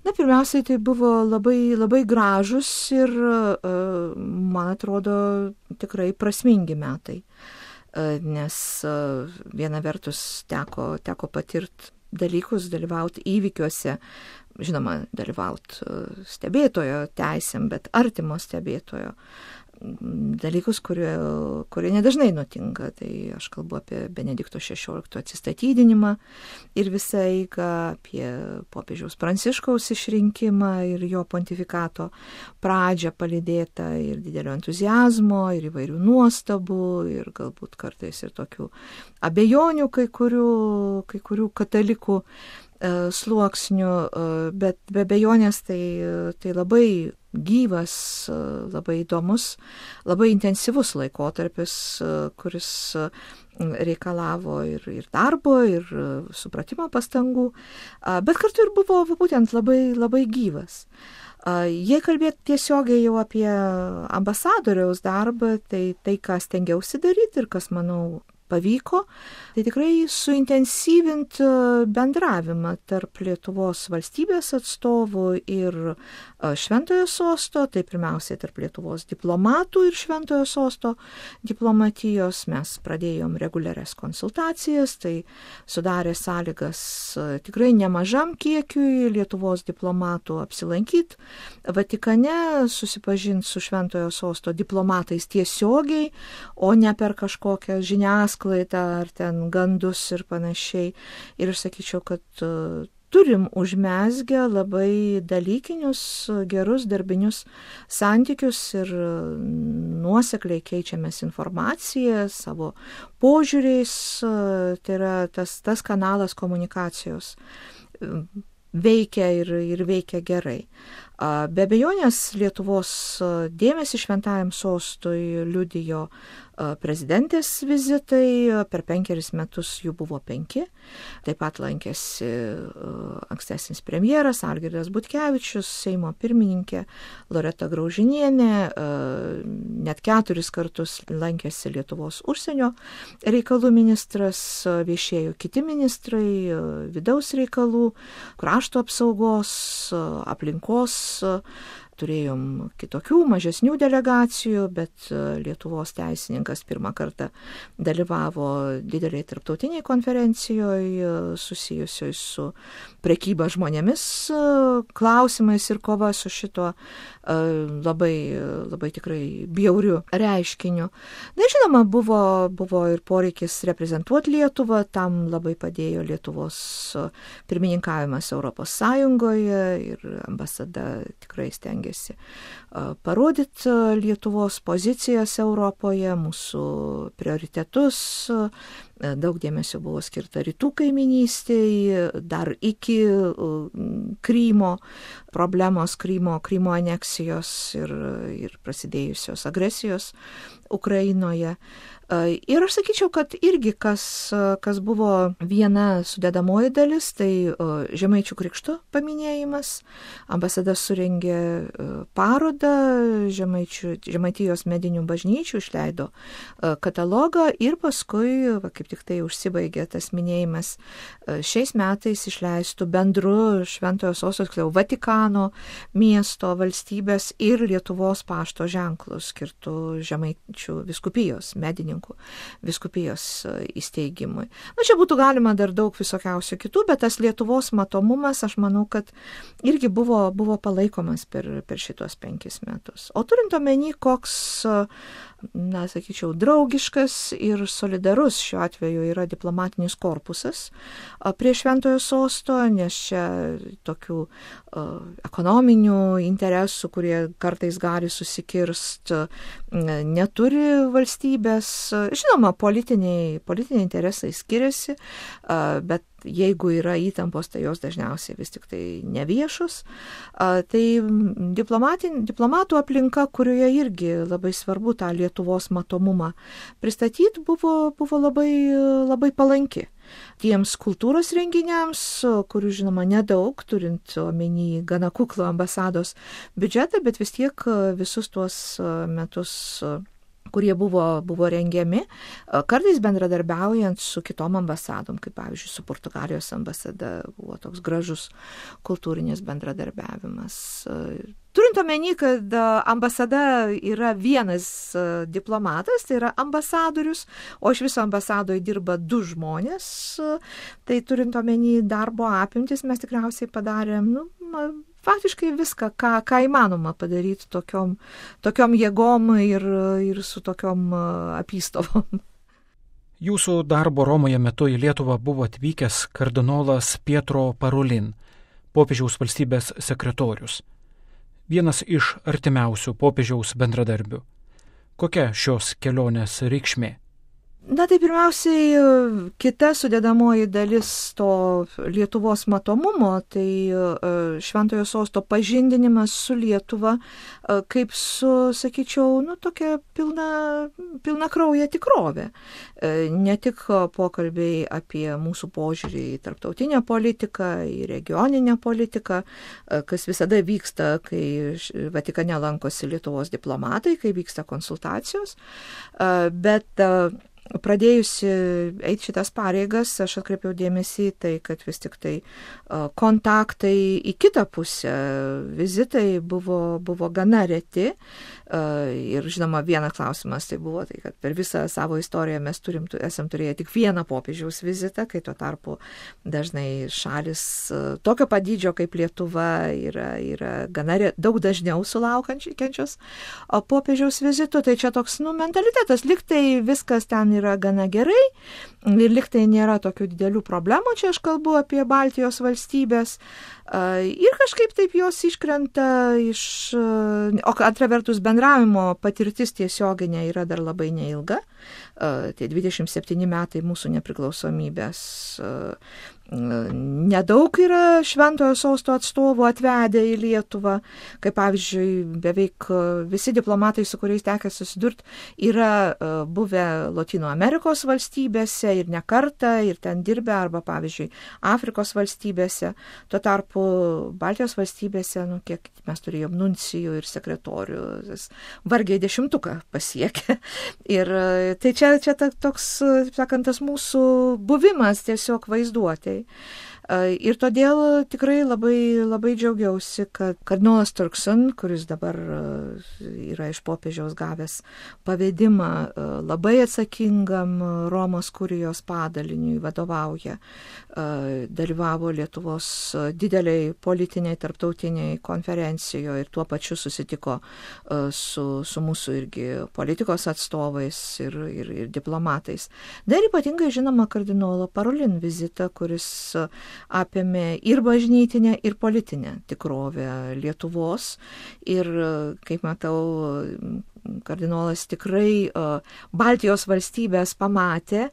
Na, pirmiausiai, tai buvo labai gražus ir, man atrodo, tikrai prasmingi metai, nes viena vertus teko patirti dalykus, dalyvauti įvykiuose, žinoma, dalyvauti stebėtojo teisėm, bet artimo stebėtojo. Dalykus, kurie nedažnai nutinka. Tai aš kalbu apie Benedikto XVI atsistatydinimą ir visą eigą, apie popiežiaus Pranciškaus išrinkimą ir jo pontifikato pradžią palydėtą ir didelio entuziazmo, ir įvairių nuostabų, ir galbūt kartais ir tokių abejonių kai kurių katalikų sluoksnių, bet be abejonės tai labai gyvas, labai įdomus, labai intensyvus laikotarpis, kuris reikalavo ir darbo, ir supratimo pastangų, bet kartu ir buvo būtent labai gyvas. Jei kalbėti tiesiogiai jau apie ambasadoriaus darbą, tai ką stengiausi daryti ir kas, manau, pavyko, tai tikrai suintensyvinti bendravimą tarp Lietuvos valstybės atstovų ir Šventojo sosto, tai pirmiausiai tarp Lietuvos diplomatų ir Šventojo sosto diplomatijos. Mes pradėjom reguliarias konsultacijas, tai sudarė sąlygas tikrai nemažam kiekiui Lietuvos diplomatų apsilankyti Vatikane, susipažinti su Šventojo sosto diplomatais tiesiogiai, o ne per kažkokią žiniasklaidą ar ten gandus ir panašiai. Ir aš sakyčiau, kad turim užmezgę labai dalykinius, gerus darbinius santykius ir nuosekliai keičiamės informaciją savo požiūriais. Tai yra tas kanalas komunikacijos veikia ir veikia gerai. Be abejonės Lietuvos dėmesį šventajam sostui liudijo prezidentės vizitai, per 5 metus jų buvo 5. Taip pat lankėsi ankstesnis premjeras Algirdas Butkevičius, Seimo pirmininkė Loreta Graužinienė, net 4 kartus lankėsi Lietuvos užsienio reikalų ministras, viešėjo kiti ministrai, vidaus reikalų, krašto apsaugos, aplinkos. Turėjom kitokių, mažesnių delegacijų, bet Lietuvos teisininkas pirmą kartą dalyvavo dideliai tarptautiniai konferencijoje susijusioj su prekyba žmonėmis klausimais ir kova su šito labai tikrai bjauriu reiškiniu. Na, žinoma, buvo ir poreikis reprezentuoti Lietuvą, tam labai padėjo Lietuvos pirmininkavimas Europos Sąjungoje ir ambasada tikrai stengiasi parodyti Lietuvos pozicijas Europoje, mūsų prioritetus. Daug dėmesio buvo skirta rytų kaiminystėje, dar iki Krymo problemos, Krymo aneksijos ir prasidėjusios agresijos Ukrainoje. Ir aš sakyčiau, kad irgi kas buvo viena sudedamoji dalis, tai Žemaičių krikšto paminėjimas. Ambasada surengė parodą Žemaitijos medinių bažnyčių, išleido katalogą ir paskui, kaip tik tai užsibaigė tas minėjimas, šiais metais išleistų bendru Šventojo sosto, Vatikano miesto, valstybės ir Lietuvos pašto ženklų skirtų Žemaičių vyskupijos medininkų vyskupijos įsteigimui. Na, čia būtų galima dar daug visokiausių kitų, bet tas Lietuvos matomumas, aš manau, kad irgi buvo palaikomas per šitos 5 metus. O turint omeny, koks, na, sakyčiau, draugiškas ir solidarus šiuo atveju yra diplomatinis korpusas prie Šventojo sosto, nes čia tokių ekonominių interesų, kurie kartais gali susikirst, neturi valstybės. Žinoma, politiniai interesai skiriasi, bet jeigu yra įtampos, tai jos dažniausiai vis tik tai neviešus. Tai diplomatų aplinka, kurioje irgi labai svarbu tą Lietuvos matomumą pristatyti, buvo labai palanki. Tiems kultūros renginiams, kurių žinoma nedaug, turint omeny gana kuklų ambasados biudžetą, bet vis tiek visus tuos metus kurie buvo rengiami, kartais bendradarbiaujant su kitom ambasadom, kaip pavyzdžiui su Portugalijos ambasada buvo toks gražus kultūrinis bendradarbiavimas. Turint omeny, kad ambasada yra vienas diplomatas, tai yra ambasadorius, o iš viso ambasadoje dirba 2 žmonės, tai turint omeny darbo apimtis mes tikriausiai padarėm, faktiškai viską, ką įmanoma padaryti tokiom jėgom ir su tokiom apystovom. Jūsų darbo Romoje metu į Lietuvą buvo atvykęs kardinolas Pietro Parolin, popiežiaus valstybės sekretorius. Vienas iš artimiausių popiežiaus bendradarbių. Kokia šios kelionės reikšmė? Tai pirmiausiai kita sudėdamoji dalis to Lietuvos matomumo, tai Šventojo sosto pažindinimas su Lietuva, kaip su, sakyčiau, tokia pilna krauja tikrovė. Ne tik pokalbiai apie mūsų požiūrį į tarptautinę politiką, į regioninę politiką, kas visada vyksta, kai Vatikane lankosi Lietuvos diplomatai, kai vyksta konsultacijos, bet pradėjusi eiti šitas pareigas, aš atkreipiau dėmesį į tai, kad vis tik tai kontaktai į kitą pusę, vizitai buvo gana reti. Ir žinoma, vienas klausimas tai buvo, tai kad per visą savo istoriją mes esam turėję tik vieną popiežiaus vizitą, kai tuo tarpu dažnai šalis tokio padydžio kaip Lietuva yra gana daug dažniau sulaukiančios popiežiaus vizitų. Tai čia toks mentalitetas, liktai viskas ten yra gana gerai ir liktai nėra tokių didelių problemų, čia aš kalbu apie Baltijos valstybės. Ir kažkaip taip jos iškrenta o antra vertus bendravimo patirtis tiesioginė yra dar labai neilga. Tie 27 metai mūsų nepriklausomybės. Nedaug yra Šventojo sosto atstovų atvedę į Lietuvą, kaip pavyzdžiui, beveik visi diplomatai, su kuriais tekę susidurti, yra buvę Lotynų Amerikos valstybėse ir ne kartą, ir ten dirbę, arba pavyzdžiui, Afrikos valstybėse. Tuo tarpu Baltijos valstybėse, kiek mes turėjom nuncijų ir sekretorių, vargiai 10 pasiekė. Ir tai čia toks, sakant, tas mūsų buvimas tiesiog vaizduotė. Ir todėl tikrai labai džiaugiausi, kad kardinolas Turkson, kuris dabar yra iš popiežiaus gavęs pavedimą labai atsakingam Romos kurijos padaliniui vadovauja, dalyvavo Lietuvos dideliai politiniai tarptautiniai konferencijoje ir tuo pačiu susitiko su mūsų irgi politikos atstovais ir diplomatais. Dar ypatingai žinoma kardinolo Parolin vizitą, kuris apėmė ir bažnytinę, ir politinę tikrovę Lietuvos. Ir, kaip matau, kardinolas tikrai Baltijos valstybės pamatė,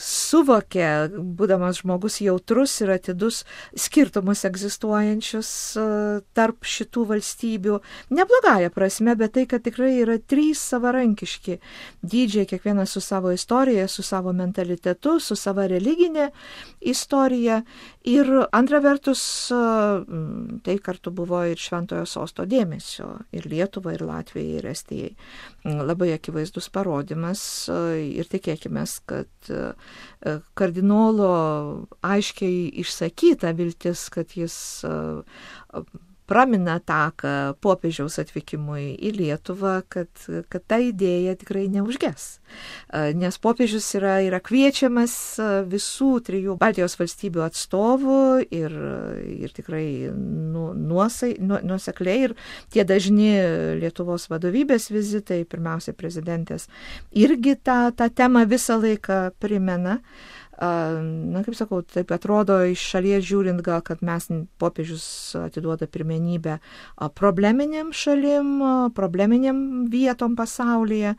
suvokė, būdamas žmogus jautrus ir atidus, skirtumus egzistuojančius tarp šitų valstybių. Neblogąja prasme, bet tai, kad tikrai yra 3 savarankiški dydžiai, kiekvienas su savo istorija, su savo mentalitetu, su savo religinė istorija. Ir antra vertus, tai kartu buvo ir Šventojo sosto dėmesio ir Lietuvai, ir Latvijai, ir Estijai. Labai akivaizdus parodymas ir tikėkime, kad kardinolo aiškiai išsakyta viltis, kad jis pramina taką popiežiaus atvykimui į Lietuvą, kad ta idėja tikrai neužges. Nes popiežius yra kviečiamas visų 3 Baltijos valstybių atstovų ir tikrai nuosekliai ir tie dažni Lietuvos vadovybės vizitai, pirmiausia prezidentės, irgi tą temą visą laiką primena. Kaip sakau, taip atrodo iš šalies žiūrint gal, kad mes popiežius atiduoda pirmenybę probleminėm šalim, probleminėm vietom pasaulyje.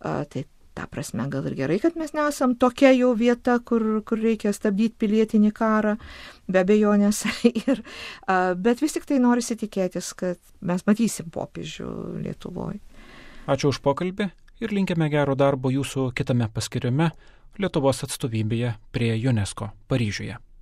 Tai ta prasme gal ir gerai, kad mes nesam tokia jau vieta, kur reikia stabdyti pilietinį karą, be abejonės. Bet vis tik tai norisi tikėtis, kad mes matysim popiežių Lietuvoje. Ačiū už pokalbį ir linkime gero darbo jūsų kitame paskyrime Lietuvos atstovybėje prie UNESCO Paryžiuje.